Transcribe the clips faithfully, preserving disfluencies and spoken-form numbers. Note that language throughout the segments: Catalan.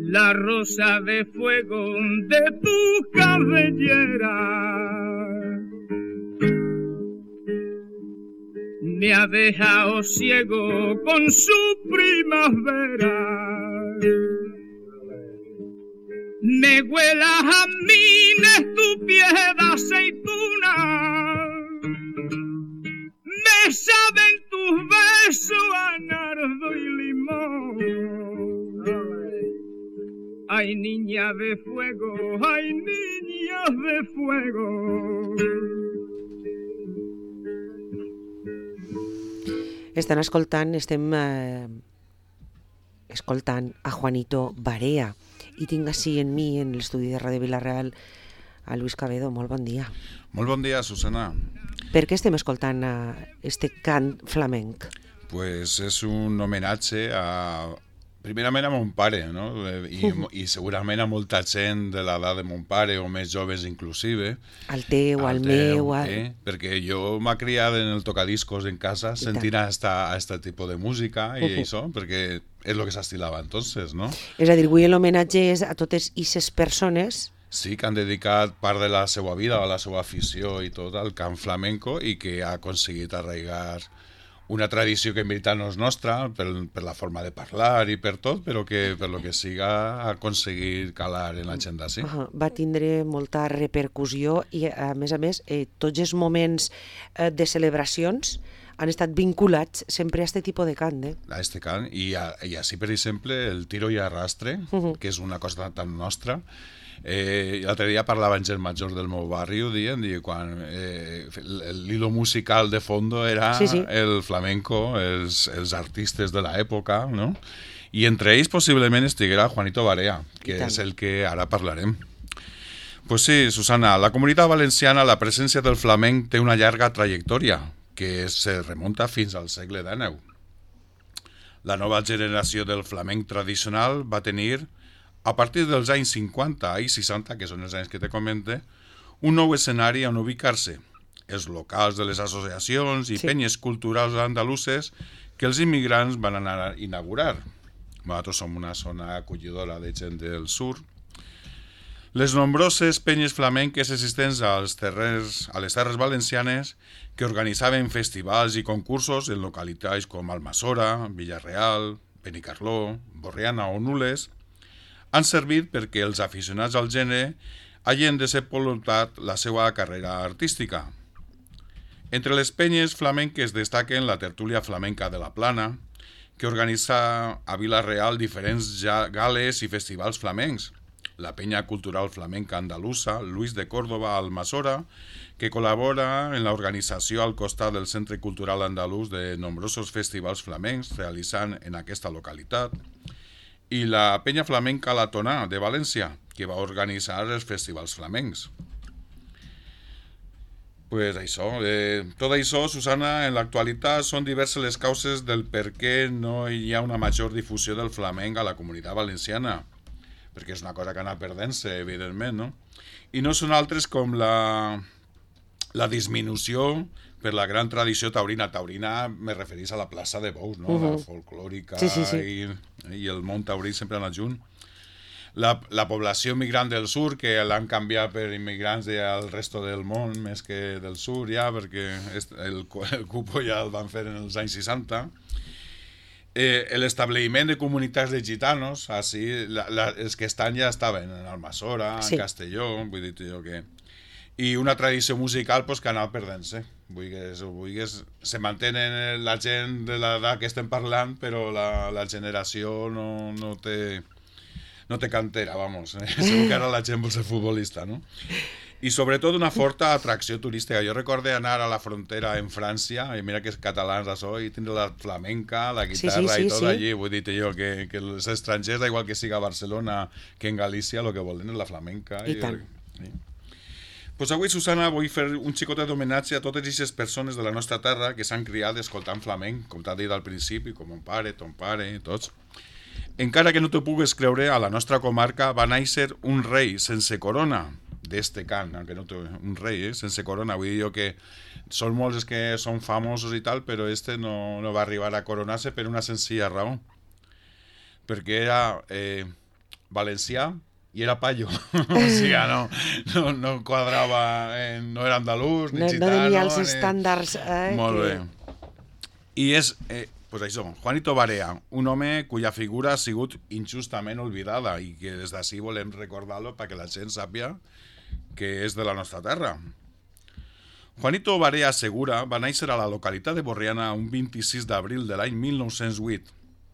la rosa de fuego de tu cabellera me ha dejado ciego con su primavera. Me huele a jazmines tu piel de aceituna, me saben tus besos a nardo y limón. Ay, niña de fuego, ay, niña de fuego. Estan escoltant, estem eh, escoltant a Juanito Barea i tinc així en mi, en l'estudi de Ràdio Vila-real, a Luis Cabedo. Molt bon dia. Molt bon dia, Susana. Per què estem escoltant este cant flamenc? Pues és un homenatge a... primerament a mon pare, no? I, i segurament a molta gent de l'edat de mon pare, o més joves inclusive. Al teu, al, al meu... Al... Eh? Perquè jo m'ha criat en el tocadiscos en casa, I sentint a aquest tipus de música i uh-huh. això, perquè és el que s'estilava entonces, no? És a dir, avui l'homenatge és a totes aquestes persones... Sí, que han dedicat part de la seva vida, a la seva afició i tot al cant flamenco i que ha aconseguit arraigar una tradició que en veritat no és nostra, per, per la forma de parlar i per tot, però que per lo que siga ha aconseguit calar en la gent d'ací. Uh-huh. Va tindre molta repercussió i, a més a més, eh, tots els moments eh, de celebracions han estat vinculats sempre a aquest tipus de cant. Eh? A este cant, i, a, i així, per exemple, el tiro i arrastre, uh-huh. que és una cosa tan nostra. Eh, L'altre dia parlava en gent major del meu barri, ho dient, i quan eh, l'hilo musical de fondo era sí, sí. el flamenco, els, els artistes de l'època, no? I entre ells possiblement estiguera Juanito Barea, que és el que ara parlarem. Pues sí, Susana, a la Comunitat Valenciana la presència del flamenc té una llarga trajectòria, que se remunta fins al segle dinou. La nova generació del flamenc tradicional va tenir, a partir dels anys cinquanta i seixanta, que són els anys que te comente, un nou escenari on ubicar-se. Els locals de les associacions i sí. penyes culturals andaluses que els immigrants van anar a inaugurar. Nosaltres som una zona acollidora de gent del sur. Les nombroses penyes flamenques existents als terres, a les terres valencianes que organitzaven festivals i concursos en localitats com Almassora, Villarreal, Benicarló, Borriana o Nules, han servit perquè els aficionats al gènere hagin desenvolupat la seva carrera artística. Entre les penyes flamenques destaquen la Tertúlia Flamenca de la Plana, que organitza a Vila-real diferents gales i festivals flamencs, la Penya Cultural Flamenca Andalusa, Luis de Córdoba, Almassora, que col·labora en l'organització al costat del Centre Cultural Andalús de nombrosos festivals flamencs realitzant en aquesta localitat, i la Penya Flamenca La Tonà de València, que va organitzar els festivals flamencs. Pues això, eh, tot això, Susana, en l'actualitat són diverses les causes del per què no hi ha una major difusió del flamenc a la Comunitat Valenciana, perquè és una cosa que anà perdent-se, evidentment, no? I no són altres com la, la disminució per la gran tradició taurina. Taurina me referís a la plaça de Bous, no? Uh-huh. La folclòrica sí, sí, sí. I, i el món taurí sempre han anat junt. La, la població migrant del sur, que l'han canviat per immigrants del resto del món, més que del sur ja, perquè el, el cupo ja el van fer en els anys seixanta. Eh, l'establiment de comunitats de gitanos, així, la, la, els que estan ja estaven en Almassora, sí. en Castelló, vull dir jo que... I una tradició musical pues, que anava perdent-se. Vulguis o vulguis, se mantenen la gent de l'edat que estem parlant, però la, la generació no, no, té, no té cantera, vamos. Eh? Segur que ara la gent vol ser futbolista, no? I sobretot una forta atracció turística. Jo recordo anar a la frontera en França, i mira que és catalans això, i tindre la flamenca, la guitarra sí, sí, sí, i tot sí. allí. Vull dir jo que, que els estrangers, igual que siga a Barcelona que en Galícia, el que volen és la flamenca. I, i tant. Sí. Pues avui, Susana, vull fer un xicotet d'homenatge a totes aquestes persones de la nostra terra que s'han criat escoltant flamenc, com t'ha dit al principi, com mon pare, ton pare, tots. Encara que no t'ho pugues creure, a la nostra comarca va néixer un rei sense corona d'este cant, que no té un rei, eh, sense corona. Vull dir jo que són molts que són famosos i tal, però este no, no va arribar a coronar-se per una senzilla raó. Perquè era... Eh, valencià i era payo. O sigui, no, no, no quadrava, eh, no era andalús ni no, gitano. No tenia els ni... estàndards. Eh, Molt que... bé. I és, eh, pues això, Juanito Barea, un home cuya figura ha sigut injustament olvidada i que des d'ací volem recordar-lo perquè la gent sàpia que és de la nostra terra. Juanito Barea Segura va néixer a la localitat de Borriana un vint-i-sis d'abril de l'any mil nou-cents vuit.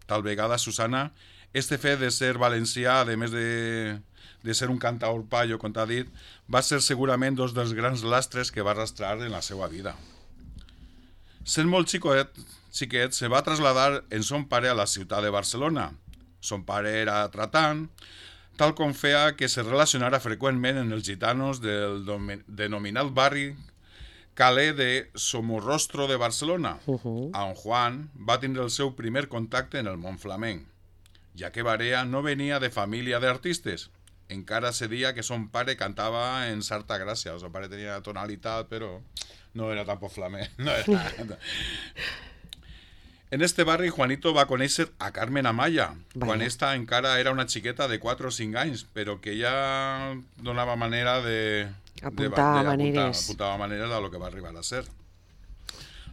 Tal vegada, Susana, este fet de ser valencià, a més de, de ser un cantaor payo, com t'ha dit, va ser segurament dos dels grans lastres que va arrastrar en la seva vida. Sent molt xicoet, xiquet, se va traslladar en son pare a la ciutat de Barcelona. Son pare era tratant, tal com feia que se relacionara freqüentment en els gitanos del denominat barri Calé de Somorrostro de Barcelona, uh-huh. on Juan va tindre el seu primer contacte en el món flamenc, ja que Barea no venia de família d'artistes. Encara se dia que son pare cantava en certa gràcia, el seu pare tenia tonalitat, però no era tampoc flamenc. No era... En este barri, Juanito va conèixer a Carmen Amaya, Vaya. quan esta encara era una xiqueta de quatre o cinc anys, però que ja donava manera de... Apuntava de, de, maneres. Apuntava maneres a lo que va arribar a ser.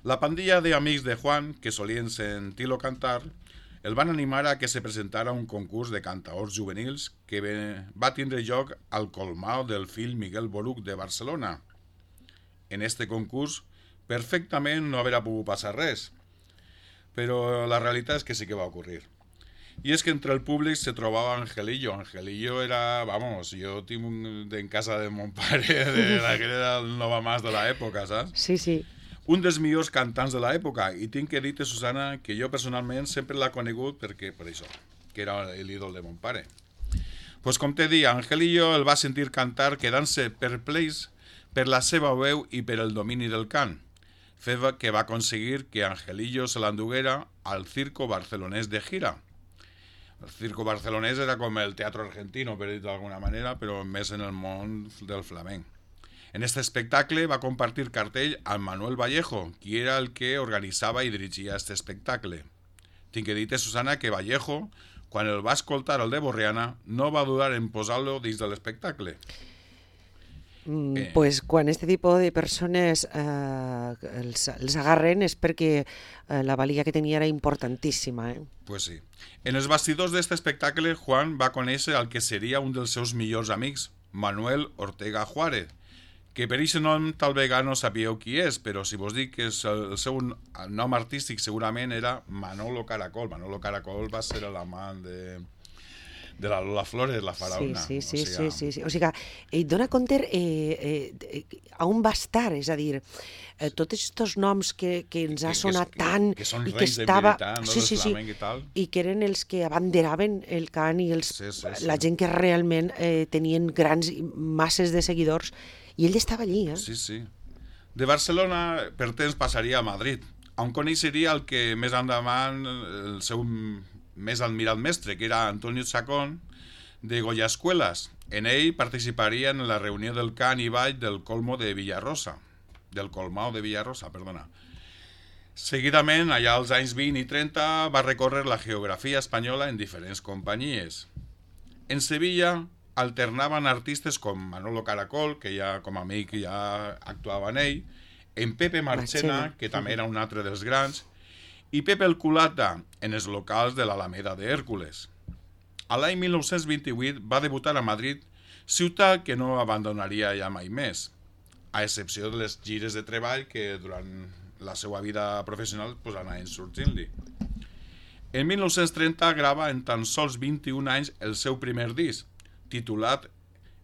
La pandilla de amics de Juan, que solien sentir-lo cantar, el van animar a que se presentara un concurs de cantaors juvenils que va tindre lloc al Colmao del fill Miguel Boruc de Barcelona. En este concurs, perfectament no haurà pogut passar res, però la realitat és que sí que va ocórrer. I és que entre el públic se trobava Angelillo. Angelillo era, vamos, jo tinc un, en casa de mon pare, de la que era el Nova Mas de l'època, saps? Sí, sí. Un dels millors cantants de l'època, i tinc que dir-te, Susana, que jo personalment sempre l'ha conegut perquè, per això, que era l'ídol de mon pare. Pues com te dic, Angelillo el va sentir cantar quedant-se perplex per la seva veu i per el domini del cant, fet que va aconseguir que Angelillo se l'enduguera al circo barcelonès de gira. El circo barcelonès era com el teatre argentino, per dir d'alguna manera, però més en el món del flamenc. En este espectacle va compartir cartell amb Manuel Vallejo, qui era el que organitzava i dirigia este espectacle. Tinc que dir-te, Susana, que Vallejo, quan el va escoltar el de Borriana, no va dudar en posar-lo dins de l'espectacle. Mm, eh. Pues quan este tipus de persones eh, els, els agarren és perquè eh, la valia que tenia era importantíssima. Eh? Pues sí. En els bastidors d'aquest espectacle, Juan va conèixer el que seria un dels seus millors amics, Manuel Ortega Juárez, que per aquest nom tal vegada no sabíeu qui és, però si vos dic que el seu nom artístic segurament era Manolo Caracol. Manolo Caracol va ser l'amant de... de la Lola Flores, la faraona. Sí, sí, sí, o sigui, sí, sí, sí. O sigui, eh, dona compte eh, eh, a on va estar, és a dir, eh, tots aquests noms que, que ens ha sonat que, tant... Que, que són i reis que estava... de militar, no? Sí, sí, sí. I tal. I que eren els que abanderaven el cant i els, sí, sí, sí. la gent que realment eh, tenien grans masses de seguidors, i ell estava allí, eh? Sí, sí. De Barcelona, per temps, passaria a Madrid, on coneixeria el que més endavant el seu més admirat mestre, que era Antonio Chacón, de Goya Escuelas. En ell participaria en la reunió del cant i ball del Colmo de Villarrosa, del Colmao de Villarrosa, perdona. Seguidament, allà als anys vint i trenta, va recórrer la geografia espanyola en diferents companyies. En Sevilla alternaven artistes com Manolo Caracol, que ja com a amic ja actuava en ell, en Pepe Marchena, que també era un altre dels grans, i Pepe el Culata, en els locals de l'Alameda de Hèrcules. A l'any mil nou-cents vint-i-vuit va debutar a Madrid, ciutat que no abandonaria ja mai més, a excepció de les gires de treball que durant la seva vida professional pues, anaven sortint-li. En mil nou-cents trenta grava en tan sols vint-i-un anys el seu primer disc, titulat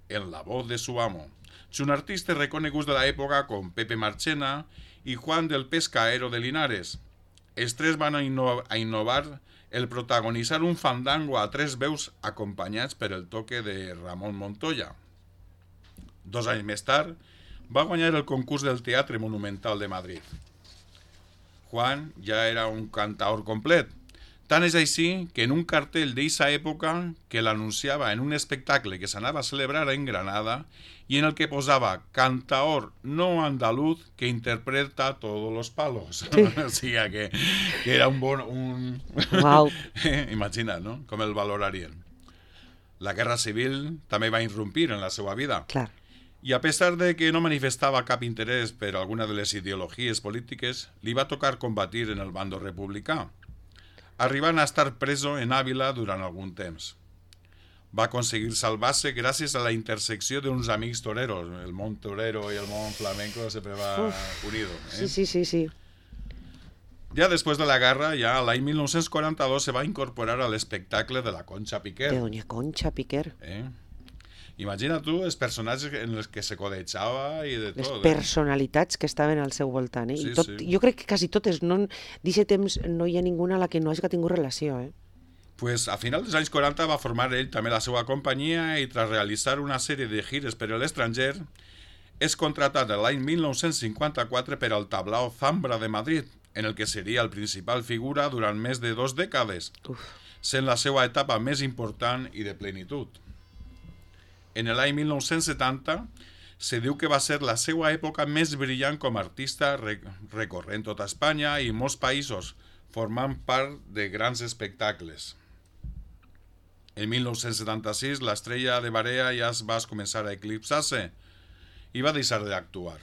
En la voz de su amo, junt artistes reconeguts de l'època com Pepe Marchena i Juan del Pescaero de Linares. Els tres van a innovar el protagonitzar un fandango a tres veus acompanyats per el toque de Ramon Montoya. Dos anys més tard, va guanyar el concurs del Teatre Monumental de Madrid. Juan ja era un cantaor complet, tant és així que en un cartell d'eixa època que l'anunciava en un espectacle que s'anava a celebrar en Granada i en el que posava cantaor no andaluz que interpreta todos los palos. Sí. O sigui que, que era un bon... Un... Wow. Imagina't, no? Com el valorarien. La guerra civil també va irrompir en la seva vida. Clar. I a pesar de que no manifestava cap interès per alguna de les ideologies polítiques, li va tocar combatir en el bando republicà, arribant a estar preso en Àvila durant algun temps. Va aconseguir salvar-se gràcies a la intersecció d'uns amics toreros. El món torero i el món flamenco sempre va Uf. unido. Eh? Sí, sí, sí, sí. Ja després de la guerra, ja l'any mil nou-cents quaranta-dos se va incorporar a l'espectacle de la Concha Piquer. De doña Concha Piquer. Eh? Imagina tu els personatges en els que se codejava i de tot. Les personalitats eh? que estaven al seu voltant. Eh? Sí, I tot, sí. Jo crec que quasi totes, no, d'aquest temps no hi ha ninguna a la que no hagi tingut relació. Eh? Pues a final dels anys quaranta va formar ell també la seva companyia i tras realitzar una sèrie de gires per a l'estranger és contratat l'any mil nou-cents cinquanta-quatre per al tablao Zambra de Madrid, en el que seria el principal figura durant més de dos dècades, Uf. sent la seva etapa més important i de plenitud. En l'any mil nou-cents setanta se diu que va ser la seva època més brillant com a artista, recorrent tota Espanya i molts països, formant part de grans espectacles. En mil nou-cents setanta-sis l'estrella de Barea ja es va començar a eclipsar-se i va deixar d'actuar.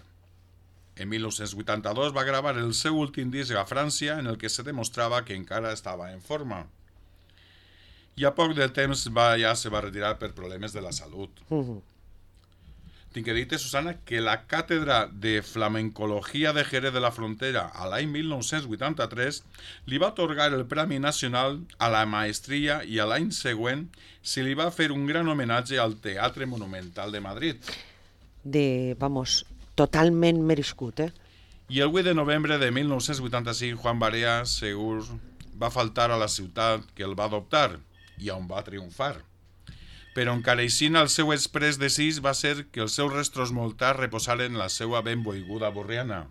En mil nou-cents vuitanta-dos va gravar el seu últim disc a França en el que se demostrava que encara estava en forma. I a poc de temps va, ja se va retirar per problemes de la salut. Uh-huh. Tinc que dir-te, Susana, que la càtedra de flamencologia de Jerez de la Frontera a l'any mil nou-cents vuitanta-tres li va atorgar el Premi Nacional a la Maestria i a l'any següent se li va fer un gran homenatge al Teatre Monumental de Madrid. De, vamos, totalment merescut, eh? I el vuit de novembre de mil nou-cents vuitanta-cinc Juan Barea segur va faltar a la ciutat que el va adoptar i on va triomfar. Però encara així el seu exprés desig va ser que els seus restos mortals reposaren en la seva benvolguda Borriana,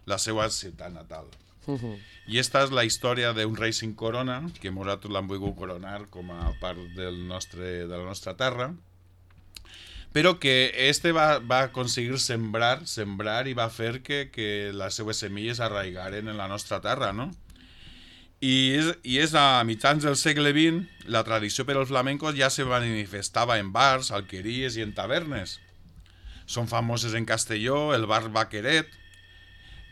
la seva ciutat natal. Uh-huh. I esta és la història d'un rei sin corona, que nosaltres l'hem volgut coronar com a part del nostre, de la nostra terra, però que este va, va aconseguir sembrar, sembrar i va fer que, que les seues semilles arraigaren en la nostra terra, no? I és, i és a mitjans del segle vint, la tradició per als flamencos ja se manifestava en bars, alqueries i en tavernes. Són famoses en Castelló el bar Vaqueret,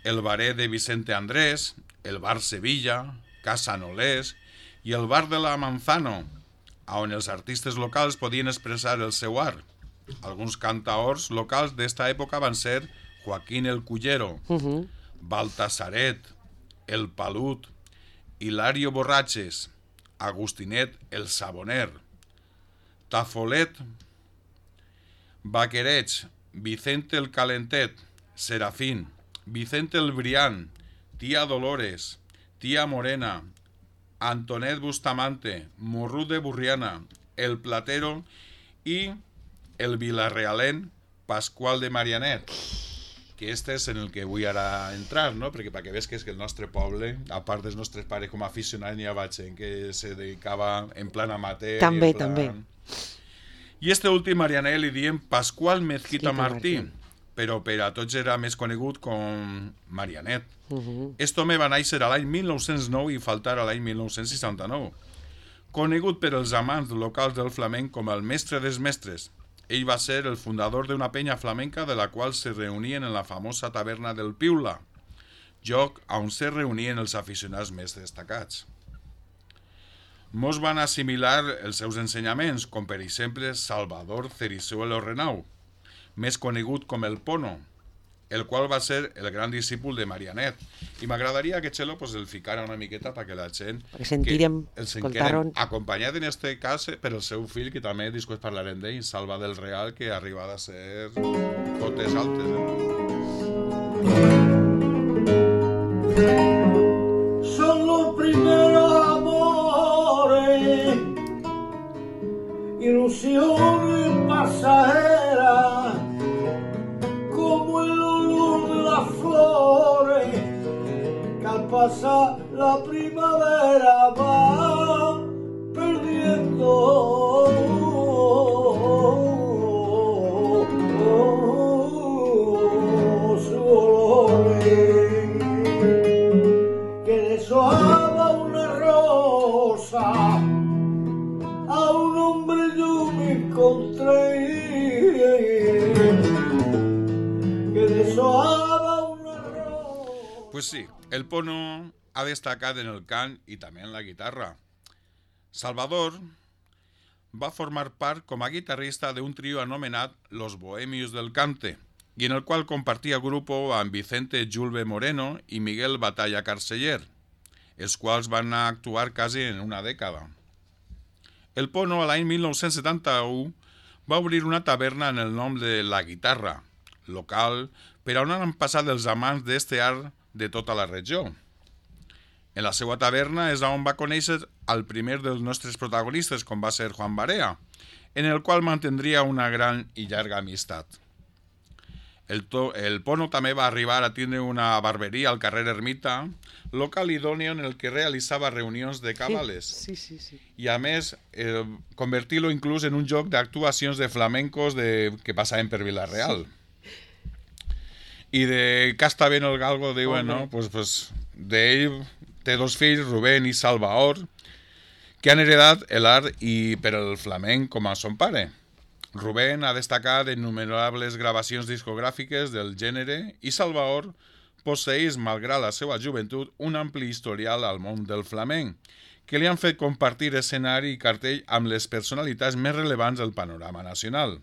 el baret de Vicente Andrés, el bar Sevilla, Casa Nolés i el bar de la Manzano, on els artistes locals podien expressar el seu art. Alguns cantaors locals d'esta època van ser Joaquín el Cullero, Uh-huh. Baltasaret, el Palut, Hilario Borratxes, Agustinet el Saboner, Tafolet, Vaquerets, Vicente el Calentet, Serafín, Vicente el Brián, Tía Dolores, Tía Morena, Antonet Bustamante, Morrut de Burriana, el Platero i el vilarrealent Pasqual de Marianet, que este és en el que vull ara entrar, no? Perquè perquè ves que és que el nostre poble, a part dels nostres pares com a aficionats, n'hi havia gent que se dedicava en plan amateur. També, en plan... també. I este últim Marianet li diem Pasqual Mezquita Mezquita Martí, Martí. però per a tots era més conegut com Marianet. Uh-huh. Este home va néixer a l'any mil nou-cents nou i faltar a l'any mil nou-cents seixanta-nou. Conegut per els amants locals del flamenc com el mestre dels mestres, ell va ser el fundador d'una penya flamenca de la qual se reunien en la famosa taverna del Piula, lloc on se reunien els aficionats més destacats. Molts van assimilar els seus ensenyaments, com per exemple Salvador Cerizuelo Renau, més conegut com el Pono, el qual va ser el gran discípul de Marianet. I m'agradaria que Txelo pues, el ficara una miqueta perquè la gent... Perquè sentirem, escoltaron... Acompanyat en este cas per el seu fill, que també després parlarem d'ell, Salva del Real, que ha arribat a ser cotes altes. Eh? Son los primeros amores, ilusiones pasajeras, como el olor de las flores que al pasar la primavera va perdiendo su olor, que deshojaba una rosa a un hombre encontré que deshojaba un arroz. Pues sí, el Pono ha destacat en el cant i també en la guitarra. Salvador va formar part com a guitarrista d'un trio anomenat Los Bohemios del Cante, i en el qual compartia grupo amb Vicente Julve Moreno i Miguel Batalla Carceller, els quals van actuar quasi en una dècada. El Pono, a l'any mil nou-cents setanta-u, va obrir una taverna en el nom de La Guitarra, local per on han passat els amants d'este art de tota la regió. En la seva taverna és on va conèixer el primer dels nostres protagonistes, com va ser Juan Barea, en el qual mantindria una gran i llarga amistat. El, to, el Pono també va arribar a tindre una barberia al carrer Ermita, local idòneo en el que realitzava reunions de cabales. Sí, sí, sí. I a més, eh, convertir-lo inclús en un joc d'actuacions de flamencos de, que passaven per Vila-real. Sí. I de Casta Ben el Galgo diuen, no? Pues, pues, d'ell té dos fills, Rubén i Salvador, que han heredat l'art i per el flamenc com a son pare. Rubén ha destacat en innumerables gravacions discogràfiques del gènere i Salvador posseeix, malgrat la seva joventut, un ampli historial al món del flamenc, que li han fet compartir escenari i cartell amb les personalitats més rellevants del panorama nacional.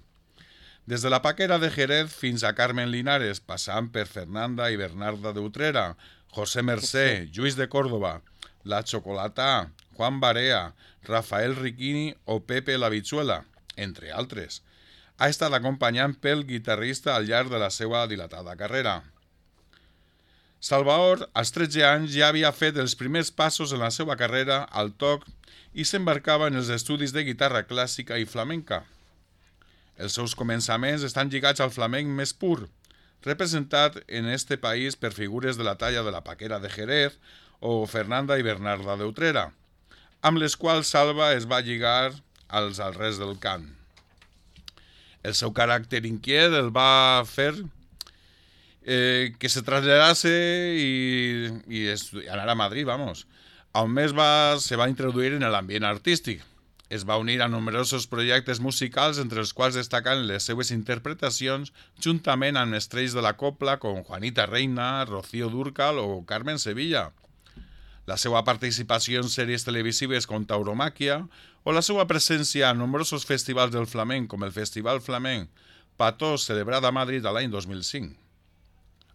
Des de la Paquera de Jerez fins a Carmen Linares, passant per Fernanda i Bernarda de Utrera, José Mercé, Lluís de Córdoba, La Chocolatá, Juan Barea, Rafael Riquini o Pepe la Bichuela, entre altres. Ha estat acompanyant pel guitarrista al llarg de la seva dilatada carrera. Salvador, als tretze anys, ja havia fet els primers passos en la seva carrera al toc i s'embarcava en els estudis de guitarra clàssica i flamenca. Els seus començaments estan lligats al flamenc més pur, representat en este país per figures de la talla de la Paquera de Jerez o Fernanda i Bernarda de Utrera, amb les quals Salva es va lligar als altres del cant. El seu caràcter inquiet el va fer eh, que se traslladase i, i anar a Madrid, vamos, on més va, se va introduir en l'ambient artístic. Es va unir a numerosos projectes musicals, entre els quals destaquen les seues interpretacions juntament amb estrells de la copla com Juanita Reina, Rocío Dúrcal o Carmen Sevilla. La seva participació en sèries televisives com Tauromàquia o la seva presència en nombrosos festivals del flamenc com el Festival Flamenc Patós, celebrat a Madrid l'any dos mil cinc.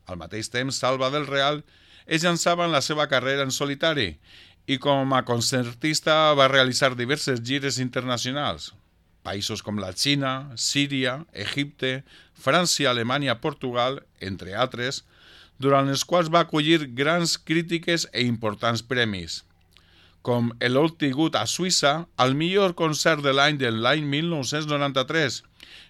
Al mateix temps, Salva del Real es llançava en la seva carrera en solitari i com a concertista va realitzar diverses gires internacionals. Països com la Xina, Síria, Egipte, França, Alemanya, Portugal, entre altres, durant els quals va acollir grans crítiques e importants premis, com l'obtingut a Suïssa al millor concert de l'any de l'any mil nou-cents noranta-tres,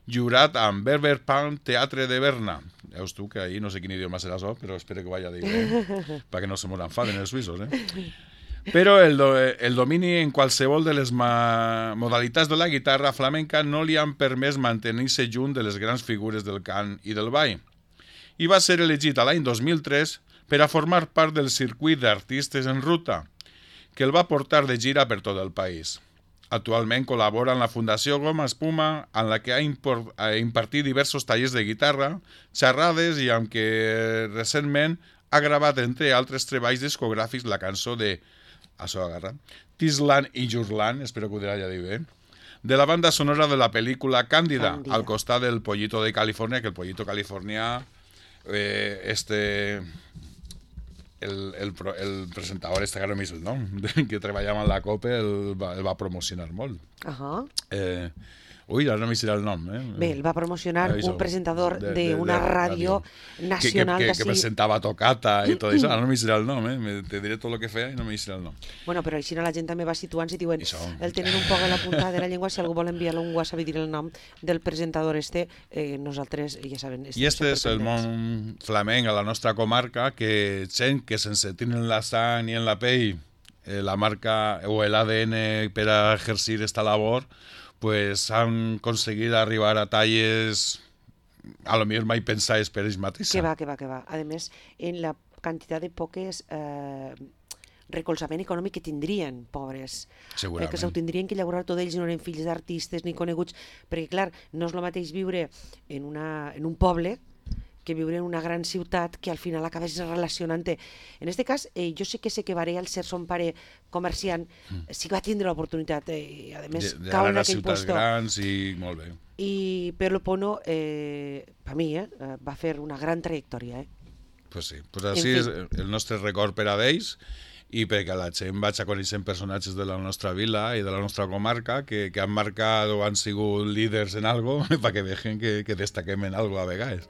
jurat amb Berber Palm Teatre de Berna. Veus tu que ahí no sé quin idioma serà això, però espero que vaya dir bé, perquè no se m'ho enfaden els suïssos, eh? Però el, do, el domini en qualsevol de les ma modalitats de la guitarra flamenca no li han permès mantenir-se junt de les grans figures del cant i del ball. I va ser elegit a l'any dos mil tres per a formar part del circuit d'artistes en ruta, que el va portar de gira per tot el país. Actualment col·labora en la Fundació Goma Espuma, en la que ha, ha impartit diversos tallers de guitarra, xerrades i amb què recentment ha gravat, entre altres treballs discogràfics, la cançó de això agarra, Tisland i Jurland, espero que ho dirà ja dir bé, de la banda sonora de la pel·lícula Càndida, Càndida, al costat del Pollito de Califòrnia, que el Pollito Californià, eh, este, el, el, el presentador, este ara no el nom, que treballava en la COPE, el va, el va promocionar molt. Uh -huh. eh, Ui, ara no m'hi serà el nom. Eh? Bé, el va promocionar Això, un presentador d'una de, de, ràdio nacional que, que, que, d'ací. que presentava Tocata i tot això. Ara no m'hi serà el nom, eh? Te diré tot el que feia i no m'hi serà el nom. Bueno, però així la gent també va situant-se i diuen Això. el tenen un poc a la punta de la llengua. Si algú vol enviar-lo un WhatsApp i dir el nom del presentador este, eh, nosaltres, ja saben... I este és el món flamenc a la nostra comarca, que gent que sense tenir en la sang ni en la pell eh, la marca o l'A D N per a exercir esta labor, pues han aconseguit arribar a talles a lo millor mai pensades per ells mateixos. Que va, que va, que va. A més, en la quantitat de poques eh, recolzament econòmic que tindrien, pobres. Segurament. Eh, que s'ho tindrien que llaurar tots ells, no eren fills d'artistes ni coneguts, perquè clar, no és el mateix viure en, una, en un poble que viure en una gran ciutat que al final acabes relacionant-te. En aquest cas, eh, jo sé que sé que Barea, al ser son pare comerciant, mm. sí que va tindre l'oportunitat, eh, a més, de, de cau en anar a aquell ciutats puesto. grans i molt bé. I Perlo Pono, eh, per mi, eh, va fer una gran trajectòria. Eh? Pues sí, pues així és el nostre record per a ells i perquè la gent vaig a conèixer personatges de la nostra vila i de la nostra comarca que, que han marcat o han sigut líders en algo perquè vegin que, que destaquem en algo a vegades.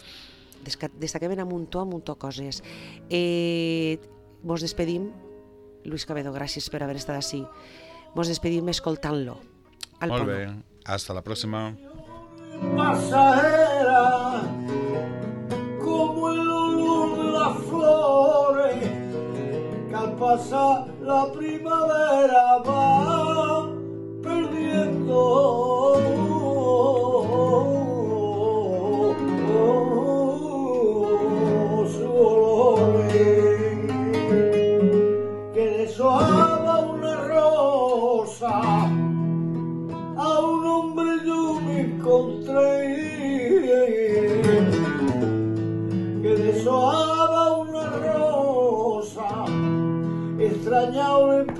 Destaquem en un muntó, un muntó coses. Eh, mos despedim, Luis Cabedo, gràcies per haver estat així. Mos despedim escoltant-lo. Molt bé, hasta la próxima. Pasajera como el olor de las flores que al pasar la primavera va perdiendo su olor, que deshoja una rosa. A un hombre yo me encontré que deshojaba una rosa, extrañado en